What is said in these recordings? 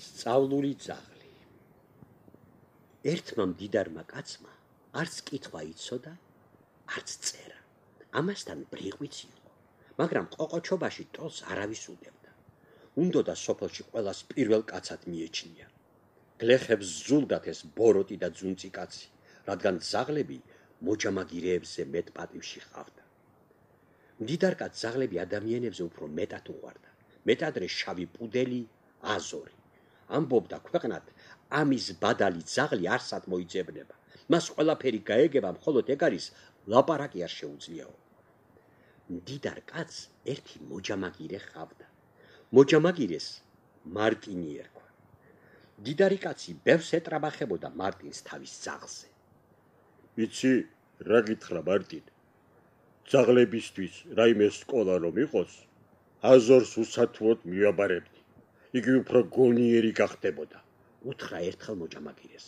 სწავლული ძაღლი. ერთმა მდიდარმა კაცმა არც კითხვა იცოდა, არც წერა. ამასთან ბრიყვიც იყო, მაგრამ ყოყოჩობაში ტოლს არავის უდებდა. უნდოდა სოფელში ყველას პირველ კაცად მიეჩნია. გლეხებს ზულდათ ეს ბოროტი და ძუნწი კაცი, რადგან ძაღლები მოჯამაგირეებზე მეტ პატივში ჰყავდა. მდიდარ კაცს ძაღლები ადამიანებზე უფრო მეტად უყვარდა. მეტადრე შავი პუდელი, აზორი. ამბობდა ქვეყნად, ამის ბადალი ძაღლი არსად მოიძებნება. მას ყველაფერი გაეგება, მხოლოდ ეგ არის ლაპარაკი არ შეუძლიაო. მდიდარ კაცს ერთი მოჯამაგირე ჰყავდა. მოჯამაგირეს მარტინი ერქვა. მდიდარი კაცი ბევრს ეტრაბახებოდა მარტინს თავის ძაღლზე. იცი, რა გითხრა მარტინ? ძაღლებისთვის რაიმე სკოლა რომ იყოს, აზორს უსათუოდ მივაბარებდი. იგი უფრო გონიერი გახდებოდა. უთხრა ერთხელ მოჯამაგირეს.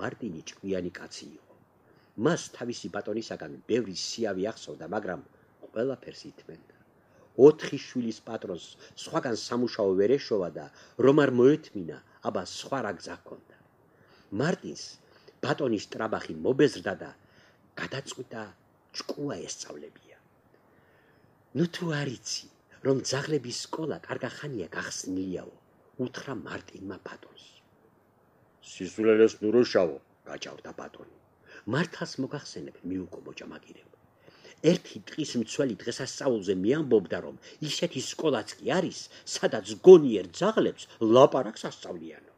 მარტინი ჭკვიანი კაცი იყო. მას თავისი ბატონისაგან ბევრი სიავი ახსოვდა, მაგრამ ყველაფერს ითმენდა. 4 შვილის პატრონს სხვაგან სამუშაო ვერ ეშოვა და რომ არ მოეთმინა, აბა სხვა რა გზა ჰქონდა. მარტინს ბატონის ტრაბახი მობეზრდა და გადაწყვიტა ჭკუა ესწავლებია. ნუ თუ არ იცი, რომ ძაღლების სკოლა კარგა ხანია გახსნილიაო, უთხრა მარტინმა ბატონს. სისულელეს ნუროშავო, გაჭავდა ბატონი. მართალს მოგახსენებ, მიუგო მოჯამაგირემ. ერთი ტყის მცველი დღესასწაულზე მიამბობდა, რომ ისეთი სკოლაც კი არის, სადაც გონიერ ძაღლებს ლაპარაკს ასწავლიანო.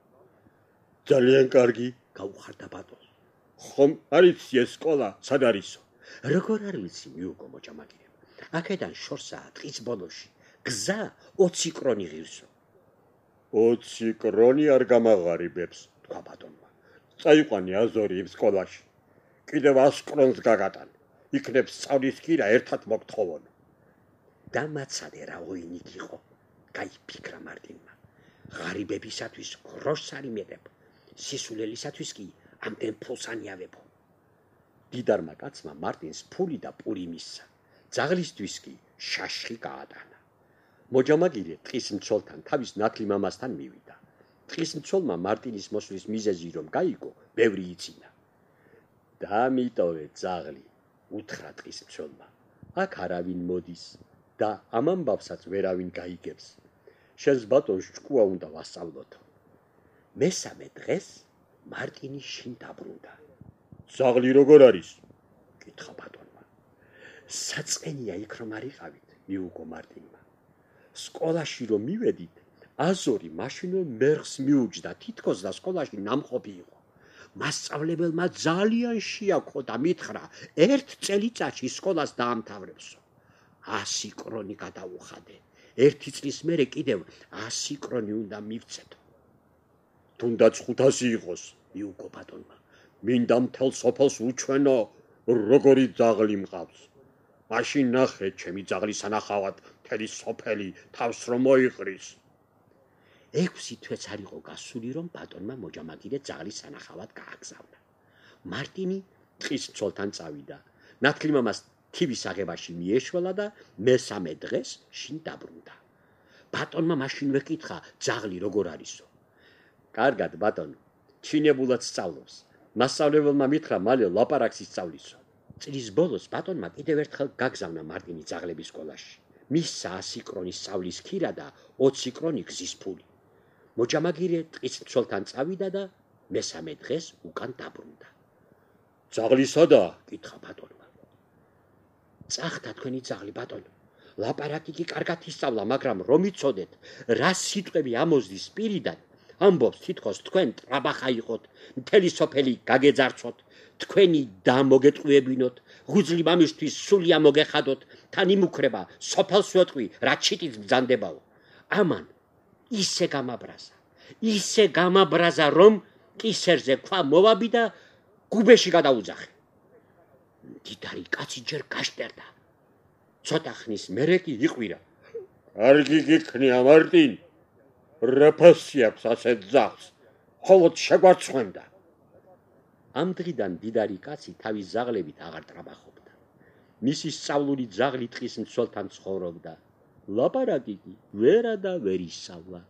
ძალიან კარგი, გაუხარდა ბატონს. ხომ არ იცი ეს სკოლა სად არისო? როგორ არ ვიცი, მიუგო მოჯამაგირემ. აქედან შორსაა ტყის ბოლოში. გზა 20 კრონი ღირსო. 20 კრონი არ გამაღარიბებს, თქვა ბატონმა. წაიყვანი აზორი იმ სკოლაში. კიდევ 100 კრონს გაგატან. იქნებ სწავლის კირა ერთად მოგთხოვონ. დამაცადე რა ოინიკ იყო, გაიფიქრა მარტინმა. ღარიბებისათვის გროშს არ იმედებ, სისულელისათვის კი ამდენ ფულს ანიავებო. დიდარმა კაცმა მარტინს ფული და პური მისცა. ძაღლისთვის კი შაშხი გაატანა. მოჯამაგირე ტყის მცველთან თავის ნათლი მამასთან მივიდა. ტყის მცველმა მარტინის მოსვლის მიზეზი რომ გაიგო, ბევრი იცინა. დამიტოვე ძაღლი, უთხრა ტყის მცველმა. აქ არავინ მოდის და ამ ამბავსაც ვერავინ გაიგებს. შენს ბატონს ჭკუა უნდა ვასწავლოთო. მესამე დღეს მარტინი შინ დაბრუნდა. ძაღლი როგორ არის? კითხა ბატონმა. საწყენია იქ რომ არ იყავით, მიუგო მარტინმა. სკოლაში რომ მივედით, აზორი მაშინვე მერხს მიუჯდა, თითქოს და სკოლაში ნამყოფი იყო. მასწავლებელმა ძალიან შეაქო და მითხრა, ერთ წელიწადში სკოლას დაამთავრებსო. 100 კრონი გადაუხადე. ერთი წლის მერე კიდევ 100 კრონი უნდა მივცეთო. თუნდაც 500 იყოს, მიუგო ბატონმა. მინდა მთელ სოფელს უჩვენო, როგორი ძაღლი მყავს. მაშინ ნახე, ჩემი ძაღლის სანახავად მთელი სოფელი თავს რომ მოიყრის. 6 თვეც არ იყო გასული, რომ ბატონმა მოჯამაგირე ძაღლის სანახავად გააგზავნა. მარტინი ტყის მცველთან წავიდა. ნათლი მამას თივის აღებაში მიეშველა და მესამე დღეს შინ დაბრუნდა. ბატონმა მაშინვე კითხა, ძაღლი როგორ არისო? კარგად ბატონო, ჩინებულად სწავლობს. მასწავლებელმა მითხრა მალე ლაპარაკს ისწავლისო. წლის ბოლოს ბატონმა კიდევ ერთხელ გაგზავნა მარტინი ძაღლების სკოლაში. მისცა 100 კრონის სწავლის ქირა და 20 კრონი გზის ფული. მოჯამაგირე ტყის მცველთან წავიდა და მესამე დღეს უკან დაბრუნდა. ძაღლი სადაა? კითხა ბატონმა. წახდა თქვენი ძაღლი ბატონო. ლაპარაკი კი კარგად ისწავლა, მაგრამ რომ იცოდეთ, რა სიტყვები ამოზდის პირიდან, ამბობს თითქოს თქვენ ტრაბახა იყოთ, მთელი სოფელი გაგეძარცოთ, თქვენი და მოგეტყუებინოთ, ღუძლი მამისთვის სულია მოგეხადოთ, თან იმუქრება სოფელს ვეტყვი, რა ჩიტიც ბრძანდებაო. ამან ისე გამაბრაზა, რომ კისერზე ქვა მოვაბი და გუბეში გადაუძახე. მდიდარი კაცი ჯერ გაშტერდა. ცოტა ხნის მერე კი იყვირა. კარგი გიქნია მარტინ, რა ფასი აქვს ასეთ ძაღლს, მხოლოდ შეგვარცხვენდა. ამ დღიდან მდიდარი კაცი თავის ძაღლებით აღარ ტრაბახობდა. მისი სწავლული ძაღლი ტყის მცველთან ცხოვრობდა. ლაპარაკი კი ვერა და ვერ ისწავლა.